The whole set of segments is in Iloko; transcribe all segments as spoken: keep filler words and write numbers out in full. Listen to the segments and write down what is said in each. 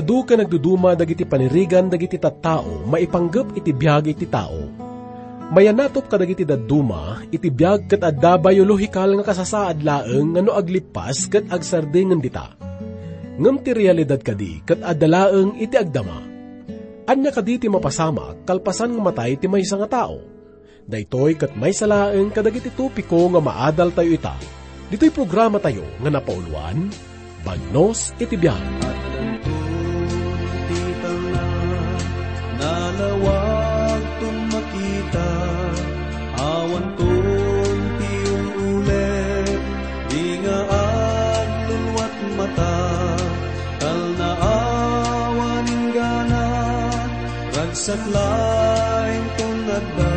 Adu ken nagduduma dagiti panirigan dagiti tattao maipanggep iti biag iti tao. Mayanatop kadagiti dadduma iti biag ket adda biological nga kasasaad laeng nga no aglippas ket agsardeng dita. Ngem ti realidad kadi ket adda laeng iti agdama. Ania kadi ti mapasamak kalpasan nga matay ti maysa nga tao? Daytoy ket maysa laeng kadagiti topiko nga maadaltayo ita ditoy programatayo nga napauloan, Bagnos iti Biag. Addanton ti talna, nalawagton makita, awanton ti ul-ulep, di nga agluluat mata, talna awan inggana, ragsak laengton adda,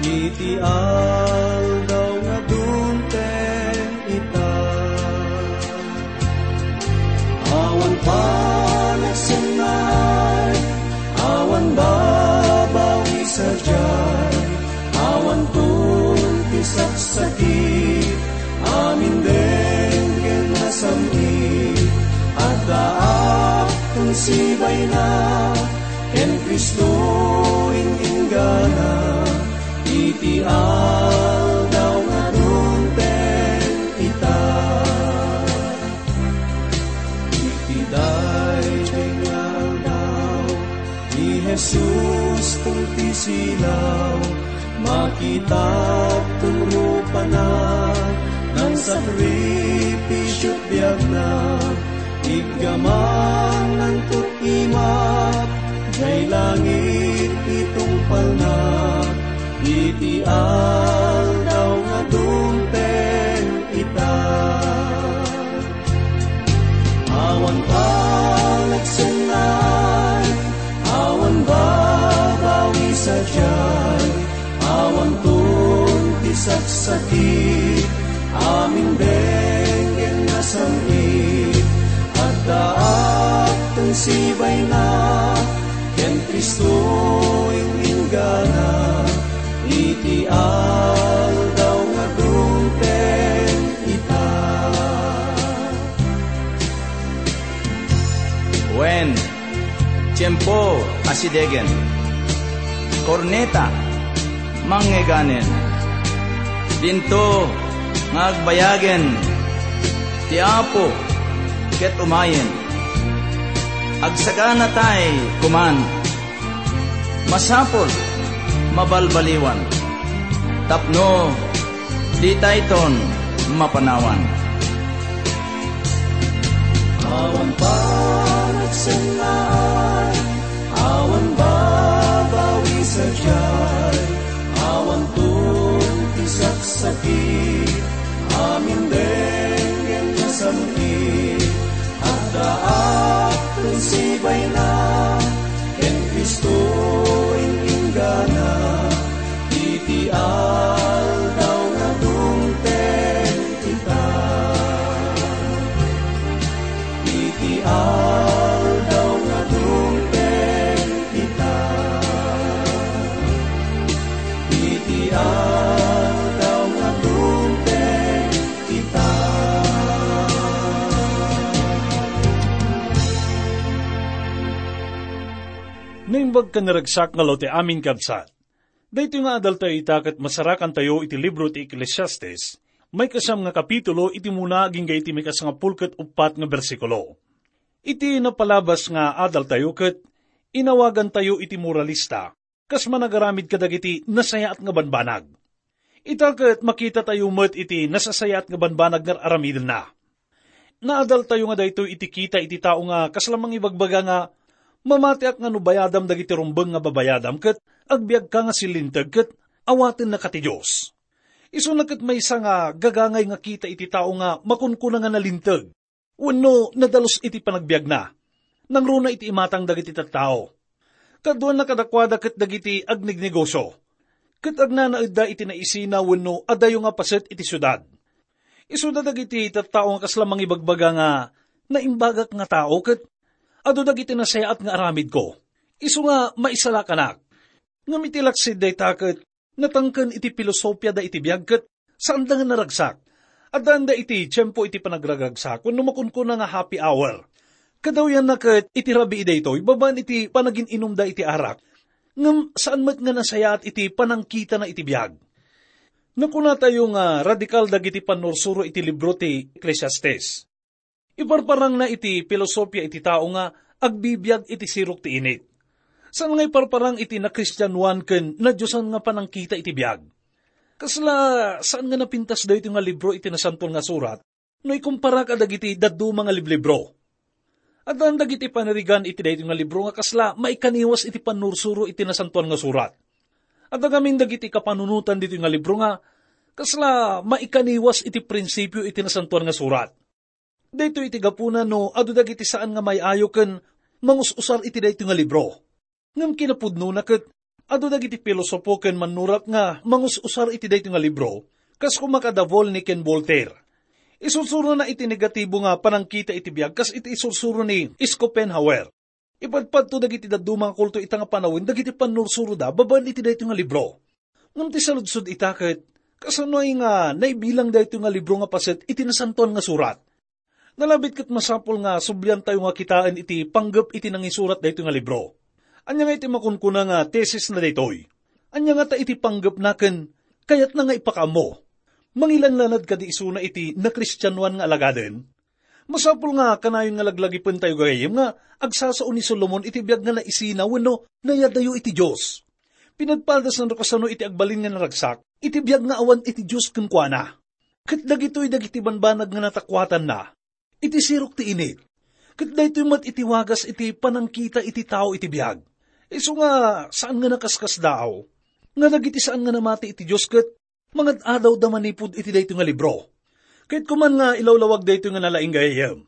iti aldaw nga dumteng ita. Awan panagsennay, awan babawi sadiay, awanton ti saksakit, amin denggen nasam-it, addaakton sibayna, ken Cristo in-inggana, iti aldaw nga dumteng ita. Iti daytoy nga aldaw, ni Jesus ti silaw, makitak ti rupana, nangsakripisio ti biagna, iggaman nangtut-imak, jay langit ti tungpalna, iti aldaw nga dumteng ita. Awan panagsennay, awan babawi sadiay, awanton ti saksakit, amin denggen nasam-it, addaakton sibayna, ken Cristo in-inggana, iti aldaw nga dumteng ita. Wen, tiempo a sidegen. Korneta, manngeganen. Dinto nga agbayagen ti Apo ket umayen. Agsaganatay koman. Masapul, mabalbaliwan, tapno ditayton mapanawan. Awan panagsennay, awan babawi sadiay, awanton ti saksakit, amin denggen nasam-it, addaakton sibayna, ken Cristo in-inggana, iti aldaw nga dumteng ita. Iti aldaw nga dumteng ita. Iti aldaw nga dumteng ita. Naimbag ken naragsak nga aldaw ti amin, kabsat. Daytoy nga adaltayo ita ket masarakantayo iti libro ti Eclesiastes, maikasam nga kapitulo iti umuna agingga iti maikasangapul ket uppat nga bersikulo. Iti napalabas nga adaltayo ket inawagantayo iti moralista, kas managaramid kadagiti nasayaat nga banbanag. Ita ket makitatayo met iti nasasayaat nga banbanag nga ar-aramidenna. Naadaltayo nga daytoy iti kita iti tao nga kasla mangibagbaga nga, "Mamatiak nga no bayadam dagiti rumbeng nga babayadam ket agbiagka nga sillinteg ket awatennaka ti Dios." Isuna ket maysa nga gagangay nga kita iti tao nga makunkuna nga nalinteg wenno nadalus iti panagbiagna. Nangruna iti imatang dagiti tattao. Kaduana kadakuada ket dagiti agnegnegosio. Ket agnanaedda iti naisina wenno adayo nga paset iti siudad. Isuda dagiti tattao nga kasla mangibagbaga nga, "Naimbagak nga tao ket adu dagiti nasayaat nga aramidko. Isu nga maisalakanak." Ngem iti laksid dayta ket natangken iti pilosopiada iti biag ket saanda nga naragsak. Addaanda iti tiempo iti panagragragsak wenno makunkuna nga happy hour. Kadawyanna ket iti rabii daytoy babaen iti panagin-inumda iti arak, ngem saan met nga nasayaat iti panangkitana iti biag. Nakunatayo nga radikal dagiti pannursuro iti libro ti Ecclesiastes. Iparparangna iti filosofia iti tao nga agbibiag iti sirok ti init. Saan nga iparparang iti nakristianoan ken nadiosan nga panangkita iti biag. Kasla saan nga napintas daytoy nga libro iti Nasantoan nga Surat no ikumpara kadagiti dadduma nga liblibro. Addan dagiti panirigan iti daytoy nga libro nga kasla maikaniwas iti pannursuro iti Nasantoan nga Surat. Adda ngamin dagiti kapanunotan ditoy nga libro nga kasla maikaniwas iti prinsipio iti Nasantoan nga Surat. Daytoy iti gapuna no adu dagiti saan nga may-ayo ken mangus-usar iti daytoy nga libro. Ngem kinapudnona ket adu dagiti pilosopo ken mannurat nga mangus-usar iti daytoy nga libro, kas koma kada Volney ken Voltaire. Isursurona iti negatibo nga panangkita iti biag kas iti isursuro ni Schopenhauer. Ipadpadto dagiti dadduma nga kulto ita nga panawen dagiti pannursuroda babaen iti daytoy nga libro. Ngem ti saludsod ita ket, kasanoy nga naibilang daytoy nga libro nga paset iti Nasantoan nga Surat? Nalabit ket masapul nga subliantayo nga kitaen iti panggep iti nangisurat daytoy nga libro. Ania nga iti makunkuna nga tesisna daytoy? Ania ngata iti panggepna ken kayatna nga ipakaammo? Mangilanlanad kadi isuna iti nakristianoan nga alagaden? Masapul nga kanayon nga laglagipentayo gagayyem nga agsasao ni Solomon iti biag nga naisina wenno nayadayo iti Dios. Pinadpadasna no kasano iti agbalin nga naragsak iti biag nga awan iti Dios kenkuana. Ket dagitoy dagiti banbanag nga natakuatanna iti sirok ti init. Ket daytoy met iti wagas iti panangkita iti tao iti biag. Isu nga saan nga nakaskasdaaw nga dagiti saan nga namati iti Dios ket mangad-adawda manipud iti daytoy nga libro. Kayatko man nga ilawlawag daytoy nga nalaing gagayyem.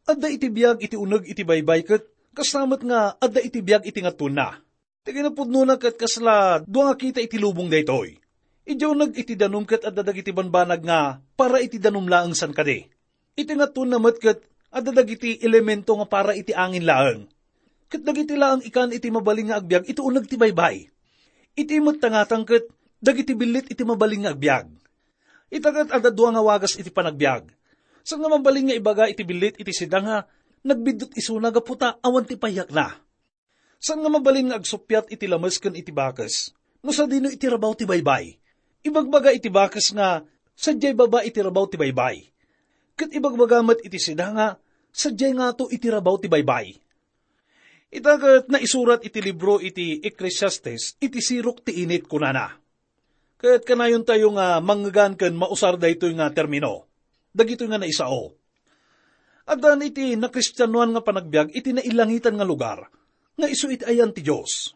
Adda iti biag iti uneg iti baybay ket kasta met nga adda iti biag iti ngatonna. Ti kinapudnona ket kasla dua nga kita iti lubong daytoy. Idiay uneg iti danum ket adda dagiti banbanag nga para iti danum laeng san kadi. Iti ngatonna met ket adda dagiti elemento nga para iti angin laeng. Ket dagiti laeng ikan iti mabalin nga agbiag iti uneg ti baybay. Iti met tangatang ket dagiti billit iti mabalin nga agbiag. Ita ket adda dua nga wagas iti panagbiag. Saan nga mabalin nga ibaga iti billit iti sida nga nagbiddut isuna gapu ta awan ti payakna. Saan nga mabalin nga agsuppiat iti lames ken iti bakes no sadino iti rabaw ti baybay. Ibagbaga iti bakes nga sadiay baba iti rabaw ti baybay. Ket ibagbaga met iti sida nga sadiay ngato iti rabaw ti baybay. Ita ket naisurat iti libro iti Ecclesiastes iti sirok ti init, kunana. Ket kanayontayo nga mangngegan ken mausar daytoy nga termino. Dagitoy nga naisao. Addan iti nakristianoan nga panagbiag iti nailangitan nga lugar, nga isu iti ayan ti Dios.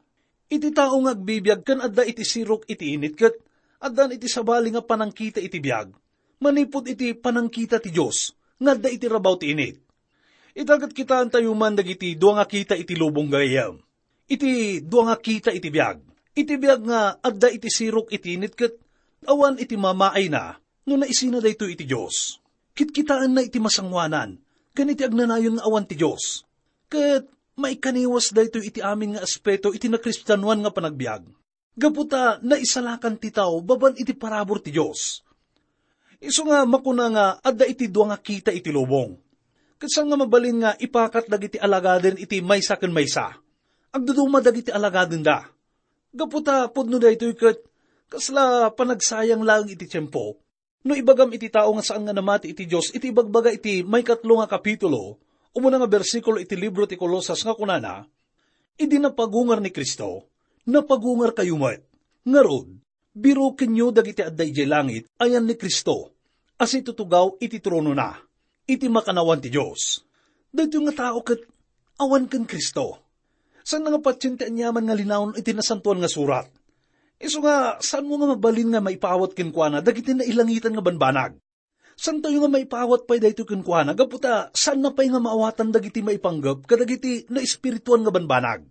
Iti tao nga agbibiag ken adda iti sirok iti init ket addan iti sabali nga panangkita iti biag, manipud iti panangkita ti Dios nga adda iti rabaw ti init. Ita ket kitaentayo man dagiti dua nga kita iti lubong gagayyem. Iti dua nga kita iti biag. Iti biag nga adda iti sirok iti init ket awan iti mamaayna no naisina daytoy iti Dios. Kitkitaenna iti masangoanan ken iti agnanayon nga awan ti Dios. Ket maikaniwas daytoy iti amin nga aspeto iti nakristianoan nga panagbiag. Gapu ta naisalakan ti tao babaen iti parabur ti Dios. Isu nga makuna nga adda iti dua nga kita iti lubong. Ket saan nga mabalin nga ipakat dagiti alagaden iti maysa ken maysa. Agduduma dagiti alagadenda. Gapu ta pudno daytoy ket kasla panagsayang laeng iti tiempo. No ibagam iti tao nga saan nga namati iti Dios iti ibagbaga iti maikatlo nga kapitulo, umuna nga bersikulo iti libro ti Colosas nga kunana, "Idi napagungar ni Cristo, napagungarkayo met. Ngarud, birokenyo dagiti adda idiay langit, ayan ni Cristo, a situtugaw iti tronona, iti makannawan ti Dios." Daytoy nga tao ket awan ken Cristo. Saan nga patien ti aniaman nga linaon iti Nasantoan nga Surat. Isu nga, saanmo nga mabalin nga maipaawat kenkuana dagiti nailangitan nga banbanag. Saantayo nga maipaawat pay daytoy kenkuana gapu ta saanna pay nga maawatan dagiti maipanggep kadagiti naespirituan nga banbanag.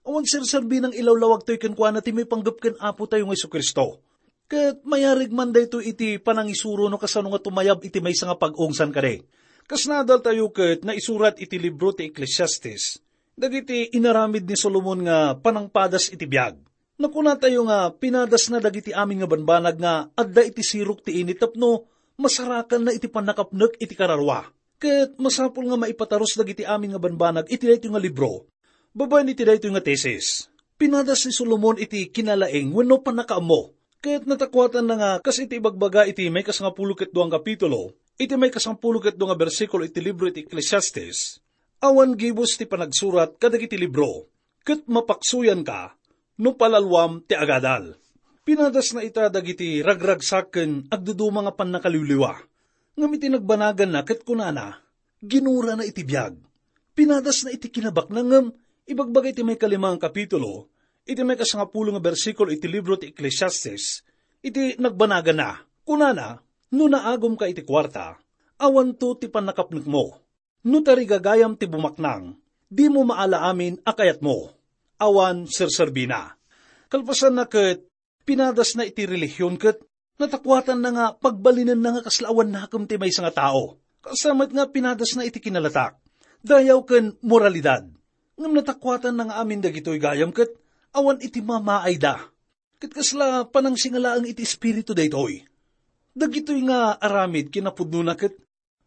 Awan serserbinang ilawlawagtoy kenkuana ti maipanggep ken Apotayo nga Jesu-Cristo. Ket mayarig man daytoy iti panangisuro no kasano nga tumayab iti maysa nga pag-ungsan kadi. Kas naadaltayo ket naisurat iti libro ti Ecclesiastes, dagiti inaramid ni Solomon nga panangpadas iti biag. Nakunatayo nga pinadasna dagiti amin nga banbanag nga adda iti sirok ti init tapno masarakanna iti pannakapnek iti kararua. Ket masapul nga maipatarus dagiti amin nga banbanag iti daytoy nga libro, babaen iti daytoy nga tesis. Pinadas ni Solomon iti kinalaing wenno pannakaammo, ket natakuatanna nga kas iti ibagbaga iti maikasangapulo ket dua nga kapitulo, iti maikasangapulo ket dua nga bersikulo iti libro iti Ecclesiastes, awan gibus ti panagsurat kadagiti libro, ket mapaksuyanka no palaluam ti agadal. Pinadasna ita dagiti ragragsak ken agduduma nga pannakaliwliwa. Ngem iti nagbanaganna ket kunana, ginurana iti biag. Pinadasna iti kinabaknang ngem ibagbaga iti maikalima nga kapitulo, iti maikasangapulo nga bersikulo iti libro ti Ecclesiastes, iti nagbanaganna, kunana, "No naagumka iti kuarta, awanto ti pannakapnekmo. No tarigagayam ti bumaknang, dimo maala amin a kayatmo." Awan serserbina. Kalpasanna ket pinadasna iti relihion ket natakuatanna nga pagbalinenna nga kasla awan nakem ti maysa nga tao. Kasta met nga pinadasna iti kinalatak, dayaw ken moralidad. Ngem natakuatanna nga amin dagitoy gayam ket awan iti mamaayda. Ket kasla panangsingalaeng iti espiritu daytoy. Dagitoy nga aramid kinapudnona ket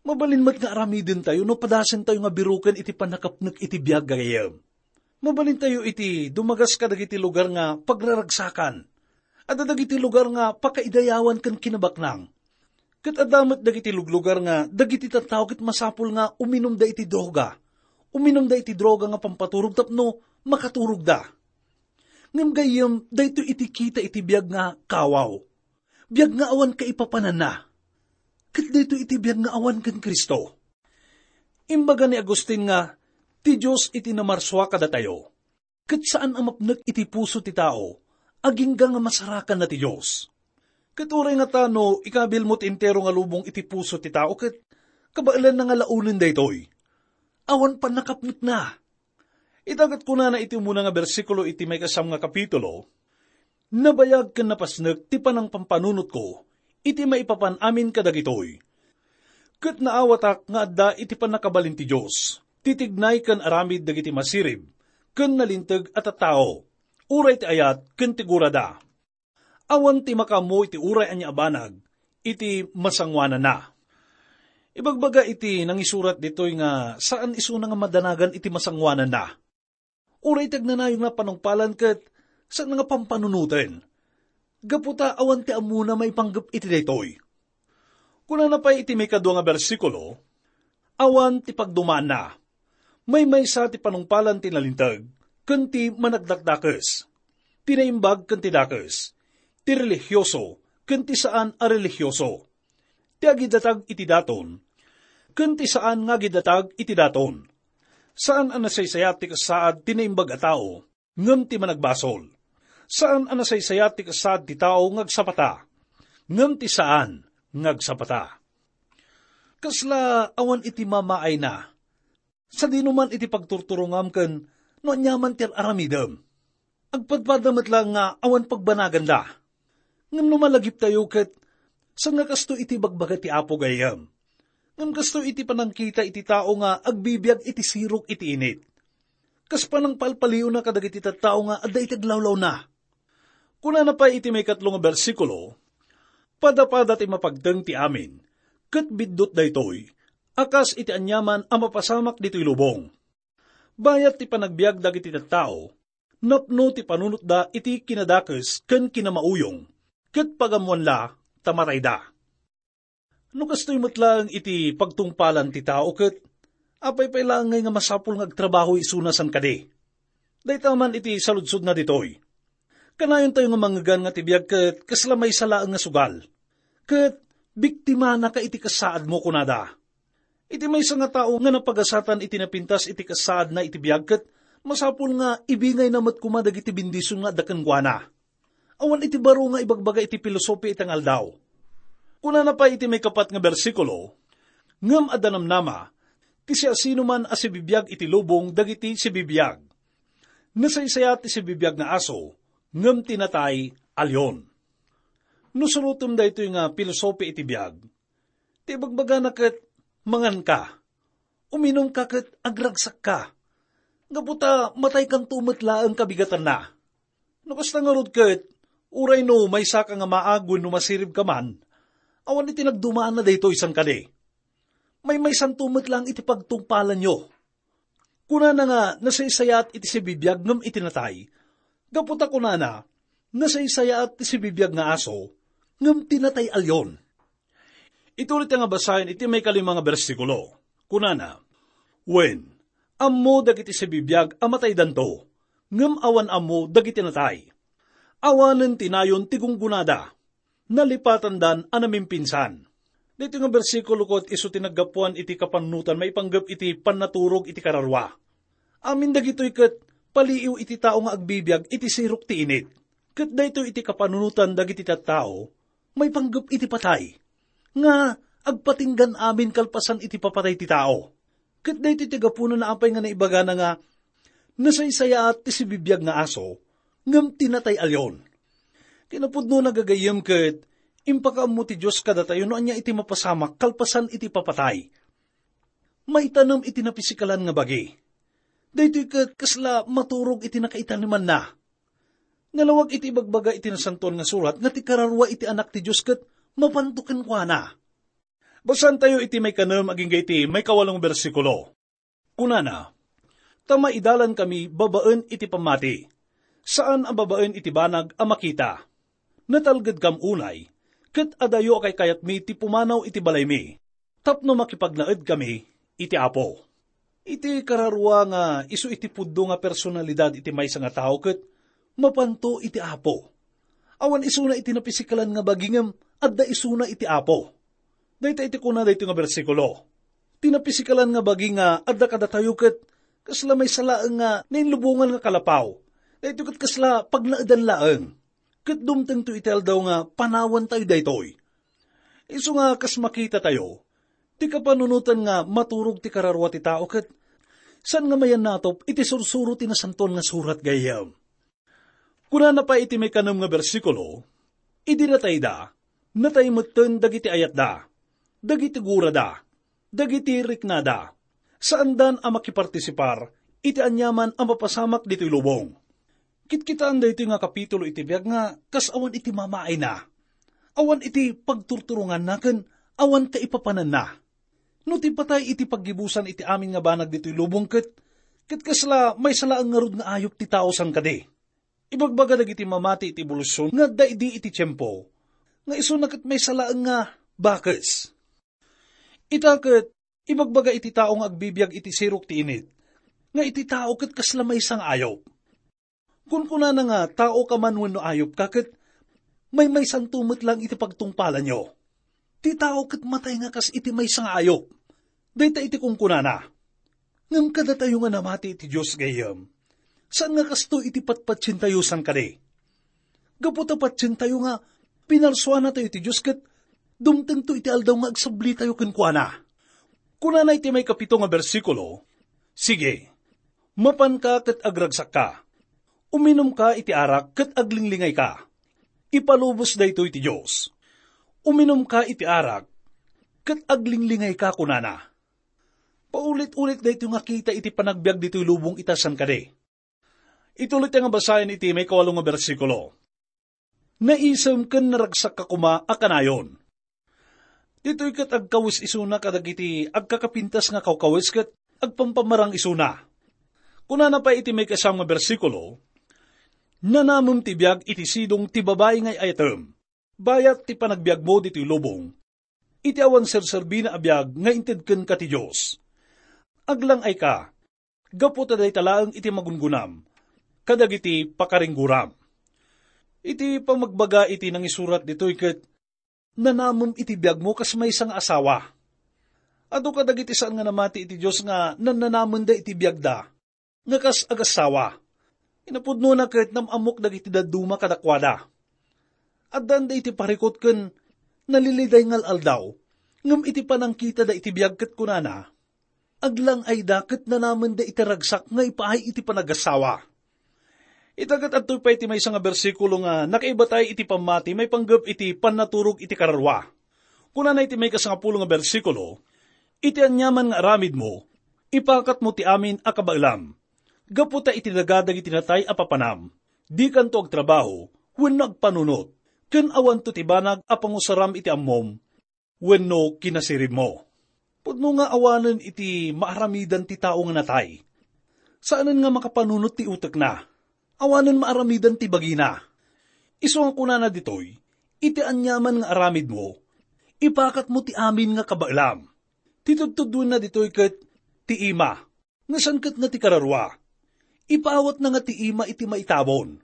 mabalin met nga aramidentayo no padasentayo nga biruken iti pannakapnek iti biag, gayyem. Mabalintayo iti dumagas kadagiti lugar nga pagraragsakan. Adda dagiti lugar nga pakaidayawan ken kinabaknang. Ket adda met dagiti luglugar nga dagiti tattao ket masapul nga uminumda iti droga. Uminumda iti droga nga pampaturog tapno makaturogda. Ngem gayyem, daytoy iti kita iti biag nga kawaw. Biag nga awan kaipapananna. Ket daytoy iti biag nga awan ken Cristo. Imbaga ni Agustin nga, "Ti Dios iti namarsua kadatayo, ket saan a mapnek iti puso ti tao, agingga nga masarakanna ti Dios." Ket uray nga ta no ikabilmo ti entero nga lubong iti puso ti tao, ket kabaelanna nga laonen daytoy. Awan pannakapnekna. Ita ket kunana iti umuna nga bersikulo iti maikasam nga kapitulo, "Nabayag ken napasnek ti panangpampanunotko iti maipapan amin kadagitoy. Ket naawatak nga adda iti pannakabalin ti Dios, titignay ken aramid dagiti masirib ken nalinteg a tattao, uray ti ayat ken ti gurada. Awan ti makaammo iti uray ania a banag iti masangoananna." Ibagbaga iti nangisurat ditoy nga saan isuna nga madanagan iti masangoananna. Uray ti agnanayon nga panungpalan ket saan nga pampanunoten. Gapu ta awan ti ammona maipanggep iti daytoy. Kunana pay iti maikadua nga bersikulo, "Awan ti pagdumaanna. Maymaysa ti panungpalan ti nalinteg ken ti managdakdakes, ti naimbag ken ti dakes, ti relihioso ken ti saan a relihioso, ti agidatag iti daton ken ti saan nga agidatag iti daton. Saan a nasaysayat ti kasaad ti naimbag a tao ngem ti managbasol. Saan a nasaysayat ti kasaad ti tao nga agsapata, ngem ti saan nga agsapata." Kasla awan iti mamaayna. Sadino man iti pagturturongam ken no aniaman ti ar-aramidem. Agpadpada met laeng nga awan pagbanaganda. Ngem no malagiptayo ket, saan nga kasto iti bagbaga ti Apo, gayyem. Ngem kasto iti panangkita iti tao nga agbibiag iti sirok iti init. Kas panangpalpaliwna kadagiti tattao nga adda iti aglawlawna. Kunana pay iti maikatlo nga bersikulo, "Padapada ti mapagteng ti amin, ket biddut daytoy, a kas iti aniaman a mapasamak ditoy lubong. Bayat ti panagbiag dagiti tattao, napno ti panunotda iti kinadakes ken kinamauyong, ket pagammoanla ta matayda." No kastoy met laeng iti pagtungpalan ti tao ket, apay pay laeng ngay nga masapul nga agtrabaho isuna saan kadi? Dayta man iti saludsodna ditoy. Kanayontayo nga mangngegan nga ti biag ket kasla maysa laeng nga sugal. Ket biktimanaka iti kasaadmo, kunada. Iti maysa nga tao nga napagasatan iti napintas iti kasaadna iti biag ket masapul nga ibingayna met koma dagiti bendision nga adda kenkuana. Awan iti baro nga ibagbaga iti pilosopi ita nga aldaw. Kunana pay iti maikapat nga bersikulo, "Ngem adda namnama ti siasinoman a sibibiag iti lubong dagiti sibibiag. Nasaysayat ti sibibiag nga aso, ngem ti natay a leon." No surotem daytoy nga pilosopi iti biag, ti ibagbagana ket, "Manganka, uminumka ket agragsakka, gapu ta mataykanto met laeng kabigatanna." No kasta ngarud ket, uray no maysaka nga maag wenno masiribka man, awan iti nagdumaanna daytoy saan kadi. Maymaysanto met laeng iti pagtungpalanyo. Kunana nga nasaysayaat iti sibibiag ngem iti natay. Gapu ta kunana, nasaysayaat ti sibibiag nga aso, ngem ti natay alyon. Ituloy ta nga basaen iti maikalima nga bersikulo. Kunana, "Wen, ammo dagiti sibibiag a mataydanto, ngem awan ammo dagiti natay. Awanen ti nayon ti gunggonada. Nalipatandan a namimpinsan." Daytoy nga bersikulo ket isu ti naggapuan iti kapanunotan maipanggep iti pannaturog iti kararua. Amin dagitoy ket paliiw iti tao nga agbibiag iti sirok ti init. Ket daytoy iti kapanunotan dagiti tattao maipanggep iti patay, nga agpatinggan amin kalpasan iti papatay ti tao. Ket daytoy ti gapuna apay nga naibagana nga, "Nasaysayaat ti sibibiag nga aso, ngem ti natay alyon." Kinapudno, gagayyem, ket impakaammo ti Dios kadatayo no ania iti mapasamak kalpasan iti papatay. Maitanem iti napisikalan nga bagi. Daytoy ket kasla maturog iti nakaitanemanna. Nalawag iti ibagbaga iti Nasantoan nga Surat nga ti kararua iti Anak ti Dios ket mapanto kenkuana. Basaentayo iti maikanem agingga iti maikawalo nga bersikulo. Kunana, "Ta maidalankami babaen iti pammati, saan a babaen iti banag a makita. Natalgedkam unay, ket adayo a kaykayatmi ti pumanaw iti balaymi, tapno makipagnaedkami iti Apo." Iti kararua nga isu iti pudno nga personalidad iti maysa nga tao ket mapanto iti Apo. Awan isuna iti napisikalan nga bagi ngem adda isuna iti Apo. Dayta iti kuna daytoy nga bersikulo. Ti napisikalan nga bagi nga adda kadatayo ket kasla maysa laeng nga nainlubongan nga kalapaw. Daytoy ket kasla pagnaedan laeng. Ket dumtengto iti aldaw nga panawantayo daytoy. Isu nga kas makitatayo, ti kapanunotan nga maturog ti kararua ti tao ket saan nga mayannatop iti sursuro ti Nasantoan nga Surat gayyem. Kunana pay iti maikanem nga bersikulo, "Idi natayda, natay metten dagiti ayatda, dagiti gurada, dagiti riknada. Saandan a makipartisipar iti aniaman a mapasamak ditoy lubong." Kitkitaen daytoy nga kapitulo iti biag nga kas awan iti mamaayna, awan iti pagturturonganna ken awan kaipapananna. No ti patay iti paggibusan iti amin nga banag ditoy lubong ket, ket kasla maysa laeng ngarud nga ayup ti tao saan kadi. Ibagbaga dagiti mamati iti ebolusyon nga adda idi iti tiempo nga isuna ket maysa laeng nga bakes. Ita ket ibagbaga iti tao nga agbibiag iti sirok ti init nga iti tao ket kasla maysa nga ayup. Kunkunana nga, "Taoka man wenno ayupka, ket maymaysanto met laeng iti pagtungpalanyo." Ti tao ket matay nga kas iti maysa nga ayup. Dayta iti kunkunana. Ngem kadatayo nga namati iti Dios gayyem, saan nga kastoy iti patpatientayo saan kadi. Gapu ta patientayo nga pinarsuanatayo iti Dios ket dumtengto iti aldaw nga agsablitayo kenkuana. Kunana iti maikapito nga bersikulo, "Sige, mapanka ket agragsakka. Uminumka iti arak ket aglinglingayka. Ipalubos daytoy ti Dios. Uminumka iti arak ket aglinglingayka," kunana. Paulit-ulit daytoy nga kita iti panagbiag ditoy lubong ita saan kadi. Ituloy ta nga basaen iti maikawalo nga bersikulo. "Naisem ken naragsakka koma a kanayon." Ditoy ket agkawes isuna kadagiti agkakapintas nga kawkawes ket agpampamarang isuna. Kunana pay iti maikasam nga bersikulo, "Nanamem ti biag iti sidong ti babai nga ay-ayatem, bayat ti panagbiagmo ditoy lubong, iti awan serserbina a biag nga inted kenka ti Dios. Aglang-ayka, gapu ta dayta laeng iti magungunam kadagiti pakaringgoram." Iti pamagbaga iti nangisurat ditoy ket, "Nanamem iti biagmo kas maysa nga asawa." Adu kadagiti saan nga namati iti Dios nga nannanamenda iti biagda nga kas agassawa. Kinapudnona ket nam-ammok dagiti dadduma kadakuada. Addaanda iti parikut ken naliliday nga al-aldaw, ngem iti panangkitada iti biag ket kunana, "Aglang-ayda ket nanamenda iti ragsak nga ipaay iti panagassawa." Ita ket adtoy pay ti maysa nga bersikulo nga nakaibatay iti pammati maipanggep iti pannaturog iti kararua. Kunana iti maikasangapulo nga bersikulo, "Iti aniaman nga aramidmo, ipakatmo ti amin a kabaelam. Gapu ta iti daga dagiti natay a papanam, dikanto agtrabaho wenno agpanunot, ken awanto ti banag a pangusaram iti ammom wenno kinasiribmo." Pudno nga awanen iti maaramidan ti tao nga natay. Saanen nga makapanunot ti utekna. Awanen maaramidan ti bagina. Isu nga kunana ditoy, iti aniaman nga aramidmo, ipakatmo ti amin nga kabaelam. Ti tudtuduenna ditoy ket ti ima, nga saan ket nga ti kararua. Ipaawatna nga ti ima iti maitabon.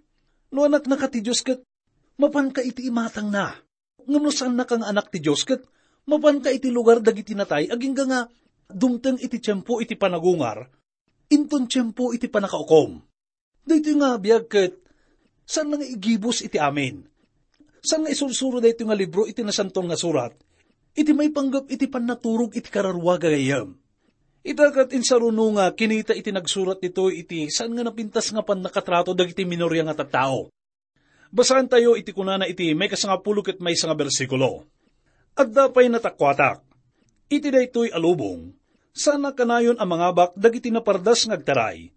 No anaknaka ti Dios ket mapanka iti imatangna. Ngem no saannaka nga anak ti Dios ket mapanka iti lugar dagiti natay agingga nga dumteng iti tiempo iti panagungar, inton tiempo iti pannakaukom. Daytoy nga biag ket saan nga igibus iti amin. Saan nga isursuro daytoy nga libro iti Nasanton nga Surat iti maipanggep iti pannaturog iti kararua, gagayyem. Ita ket insaruno nga kinita iti nagsurat ditoy iti saan nga napintas nga pannakatrato dagiti minoria nga tattao. Basaentayo iti kunana iti maikasangapulo ket maysa nga bersikulo. Adda pay natakuatak. Iti daytoy a lubong, saan a kanayon a mangabak dagiti napardas nga agtaray,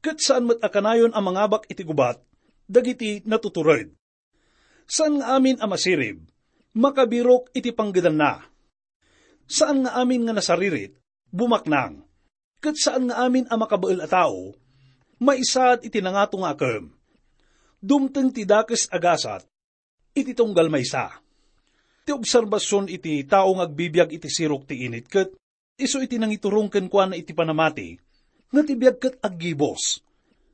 ket saan met a kanayon a mangabak iti gubat dagiti natutured. Saan nga amin a masirib, makabirok iti panggedanna. Saan nga amin nga nasaririt, bumaknang. Ket saan nga amin a makabael a tao, maisaad iti nangato nga akem. Dumteng ti dakes a gasat iti tunggal maysa. Ti obserbasion iti tao nga agbibiag iti sirok ti init ket isu iti nangiturong kenkuana iti panamati, nga ti biag ket aggibos.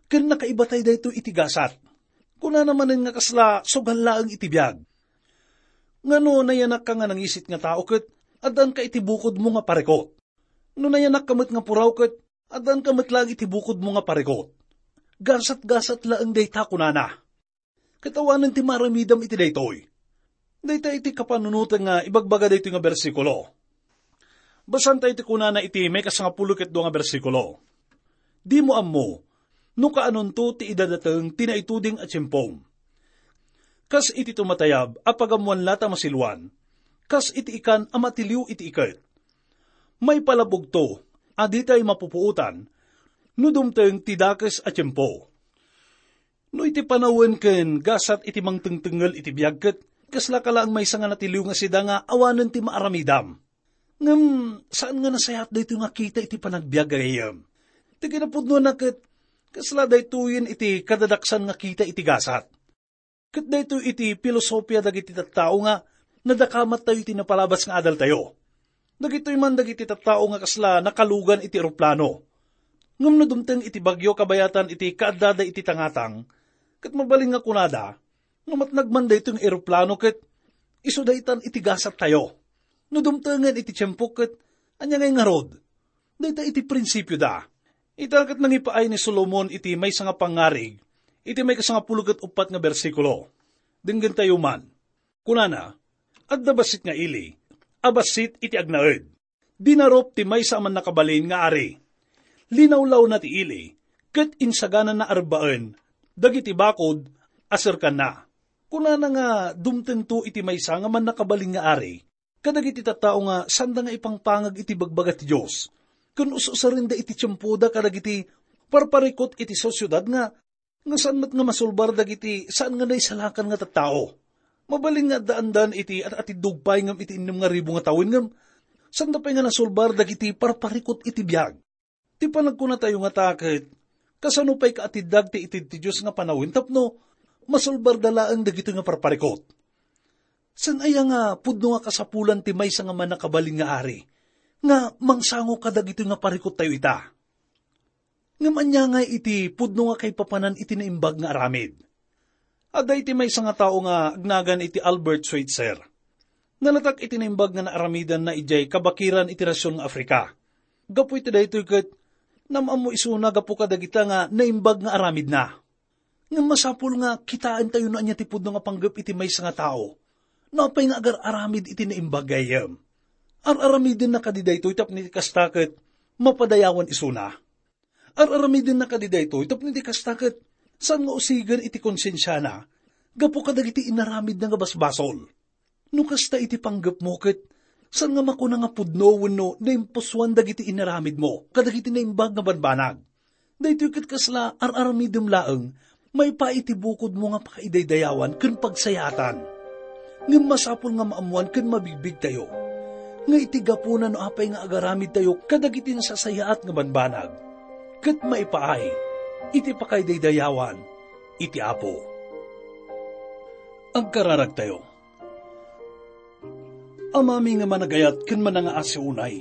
Ken nakaibatay daytoy iti gasat. Kunana manen nga kasla sugal laeng iti biag. Ngano nayanakka nga nangisit nga tao ket addanka iti bukodmo nga parikot? No nayanakka met nga puraw ket addanka met laeng iti bukodmo nga parikot. Gasat-gasat laeng dayta, kunana. Ket awanen ti maaramidam iti daytoy. Dayta iti kapanunoten nga ibagbaga daytoy nga bersikulo. Basaentayo ti kunana iti maikasangapulo ket dua nga bersikulo. Dimo ammo no kaanonto ti idadateng ti naituding a tiempom. Kas iti tumatayab a pagammoan latta a masiluan, kas iti ikan a matiliw iti iket. Maipalabogto a ditay mapupuotan no dumteng ti dakes a tiempo. No iti panawen ken gasat iti mangtengtengngel iti biag ket kaslaka laeng maysa nga natiliw nga sida nga awanen ti maaramidam. Ngem saan nga nasayaat daytoy nga kita iti panagbiag, gagayyem. Ti kinapudnona ket kasla daytoyen iti kadadaksan nga kita iti gasat. Ket daytoy iti filosofia dagiti tattao nga nadakamattayo iti napalabas nga adaltayo. Dagitoy man dagiti tattao nga kasla nakalugan iti eroplano. Ngem no dumteng iti bagyo kabayatan iti kaaddada iti tangatang, ket mabalin nga kunada, no matnag man daytoy nga eroplano ket isu daytan iti gasattayo. No dumtengen iti tiempo ket ania ngay ngarud? Dayta iti prinsipioda. Ita ket nangipaay ni Solomon iti maysa nga pangngarig, iti maikasangapulo ket uppat nga bersikulo. Denggentayo man. Kunana, adda bassit nga ili, a bassit iti agnaed. Dinarup ti maysa a mannakabalin nga ari. Linawlawna ti ili, ket insaganana a rebbaen dagiti bakod a serkanna. Kunana nga dumtengto iti maysa nga mannakabalin nga ari kadagiti tattao nga sanda nga ipangpangag iti bagbaga ti Dios, ken us-usarenda iti tiempoda kadagiti parparikut iti sosiedad nga nga saan met nga masulbar dagiti saan nga naisalakan nga tattao. Mabalin nga addaandan iti at-atiddog pay ngem iti innem nga ribu nga tawen ngem sanda pay nga nasulbar dagiti parparikut iti biag. Ti panagkunatayo ngata ket, kasano pay kaatiddag ti itid ti Dios nga panawen tapno masulbarda laeng dagitoy nga parparikut? Saan aya nga pudno nga kasapulan ti maysa nga mannakabalin nga ari nga mangsango kadagitoy nga parikuttayo ita? Ngem ania ngay iti pudno nga kaipapanan iti naimbag nga aramid? Adda iti maysa nga tao nga agnagan iti Albert Schweitzer. Nalatak iti naimbag nga naaramidanna idiay kabakiran iti nasion nga Africa. Gapu iti daytoy ket, nam-ammo isuna gapu kadagita nga naimbag nga aramidna. Ngem masapul nga kitaentayo no ania ti pudno nga panggep iti maysa nga tao. No apay nga agar-aramid iti naimbag, gayyem. Ar-aramidenna kadi daytoy tapno iti kasta ket mapadayawan isuna. Ar-aramidenna kadi daytoy tapno iti kasta ket saan nga usigen iti konsensiana gapu kadagiti inaramidna nga basbasol. No kasta iti panggepmo ket saan nga makuna nga pudno wenno naimpusoan dagiti inaramidmo kadagiti naimbag nga banbanag. Daytoy ket kasla ar-aramidem laeng maipaay iti bukodmo nga pakaidaydayawan ken pagsayaatan. Ngem masapul nga maammoan ken mabigbigtayo nga iti gapuna no apay nga agaramidtayo kadagiti nasasayaat nga banbanag, ket maipaay iti pakaidaydayawan iti Apo. Agkararagtayo. Amami nga managayat ken manangaasi unay.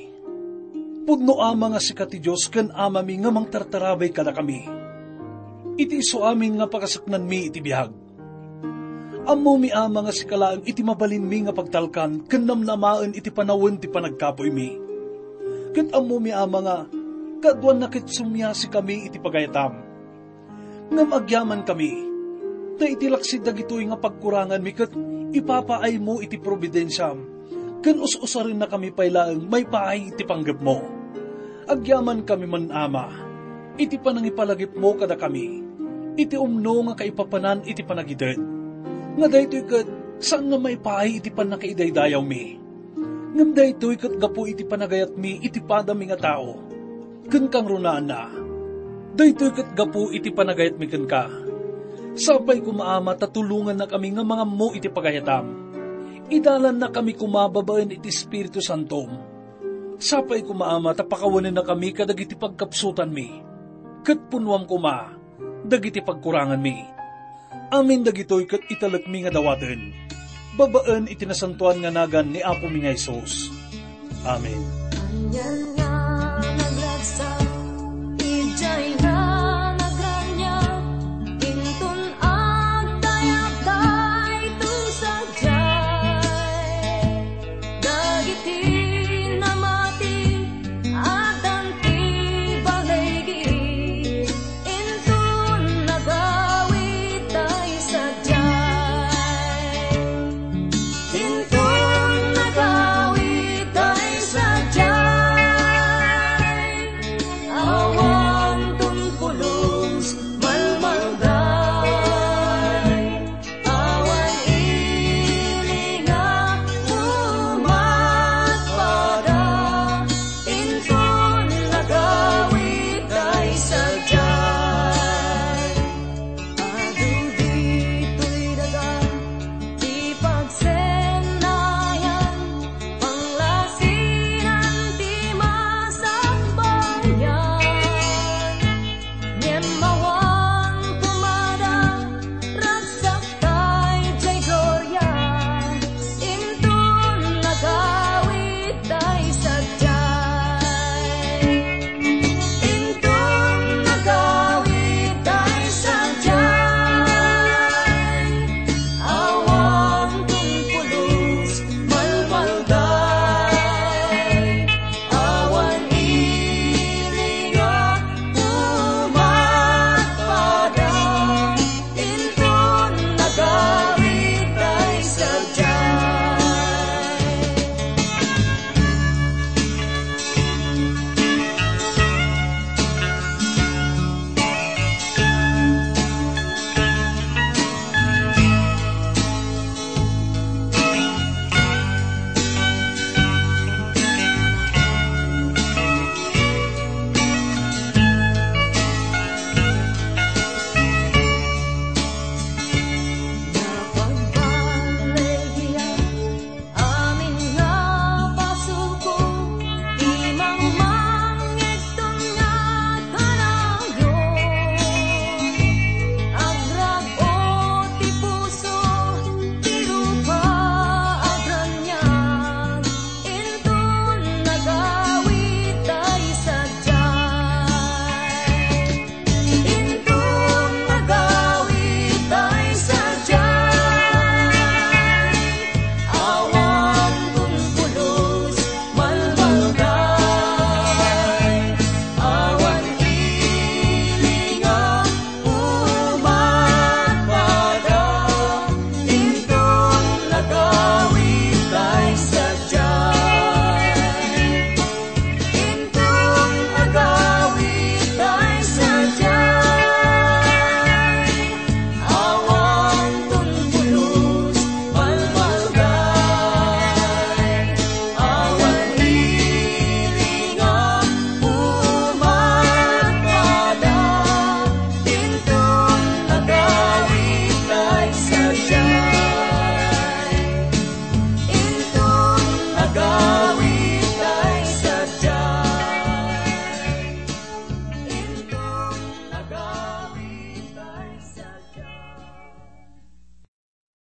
Pudno Ama nga sika ti Dios ken Amami nga mangtartarabay kadakami. Iti isu amin nga pakasaknanmi iti biag. Ammomi Ama nga sika laeng iti mabalinmi nga pagtalkan ken namnamaen iti panawen ti panagkapuymi. Ket ammomi Ama nga kaaduanna ket sumiasikami iti pagayatam. Ngem agyamankami, ta iti laksid dagitoy nga pagkuranganmi ket ipapaaymo iti probidensiam, ken us-usarennakami pay laeng maipaay iti panggepmo. Agyamankami man, Ama, iti panangipalagipmo kadakami, iti umno nga kaipapanan iti panagited. Nga daytoy ket saan nga maipaay iti pannakaidaydayawmi. Ngem daytoy ket gapu iti panagayatmi iti padami nga tao. Ken kangrunaanna, daytoy ket gapu iti panagayatmi kenka. Sapay koma, Ama, ta tulongannakami nga mangammo iti pagayatam. Idalannakami koma babaen iti Espiritu Santom. Sapay koma, Ama, ta pakawanennakami kadagiti pagkapsutanmi, ket punnoam koma dagiti pagkuranganmi. Amin dagitoy ket italekmi nga dawaten, babaen iti nasantoan nga nagan ni Apomi nga Jesus. Amen.